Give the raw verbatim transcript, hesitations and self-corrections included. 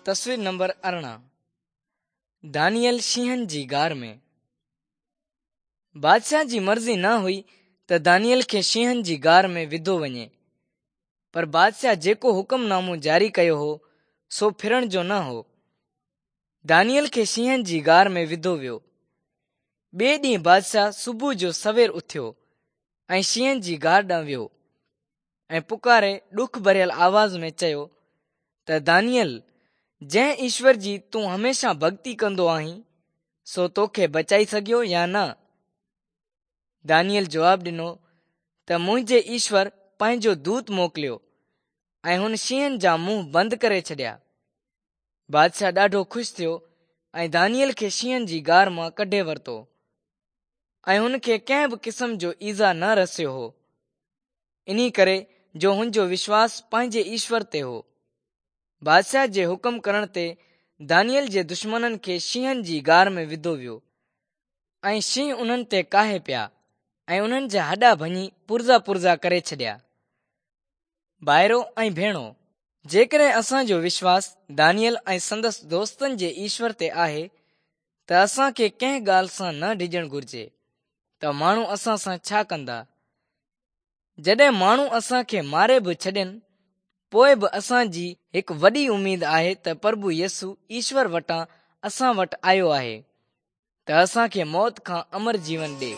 تصوير نمبر ارڙهن. دانيئل شينهن جي غار ۾. بادشاهه جي مرضي نه هئي ته دانيئل کي شينهن جي غار ۾ وڌو وڃي، پر بادشاهه جيڪو حڪم نامو جاري ڪيو هو سو ڦرڻ جو نه هو. دانيئل کي شينهن جي غار ۾ وڌو ويو. ٻئي ڏينهن بادشاهه صبح جو سوير اٿيو ۽ شينهن جي غار ڏانهن ويو ۽ پڪاري ڏک ڀريل آواز ۾ چيو ته دانيئل، جنهن ايشور جي تون هميشه ڀڳتي ڪندو آهين، سو توکي بچائي سگهيو يا نه؟ دانيئل جواب ڏنو ته منهنجي ايشور پنهنجو دوت موڪليو ۽ هن شينهن جا منهن بند ڪري ڇڏيا. بادشاهه ڏاڍو خوش ٿيو ۽ دانيئل کي شينهن جي غار مان ڪڍي ورتو ۽ هن کي ڪنهن به قسم جو ايذاء نه رسيو هو، انهي ڪري جو هن جو وشواس پنهنجي ايشور تي هو. بادشاهه جي حڪم ڪرڻ تي دانيئل جي دشمنن کي شينهن جي غار ۾ وڌو ويو ۽ شينهن انهن تي ڪاهي پيا ۽ انهن جا هڏا ڀڃي پرزا پرزا ڪري ڇڏيا. ڀائرو ۽ ڀيڻو، جيڪڏهن اسان جو وشواس دانيئل ۽ سندس دوستن جي ايشور تي آهي ته اسان کي ڪنهن ڳالهه سان نه ڊڄڻ گهرجي ته ماڻهو اسان سان ڇا ڪندا. جڏهن ماڻهو اسان کي ماري به ڇڏين، پوءِ به اسان جي هڪ وڏي اميد آهي ته پرڀو يسوع ايشور وٽان اسان وٽ آيو آهي ته اسان کي موت کان امر جيون ڏئي.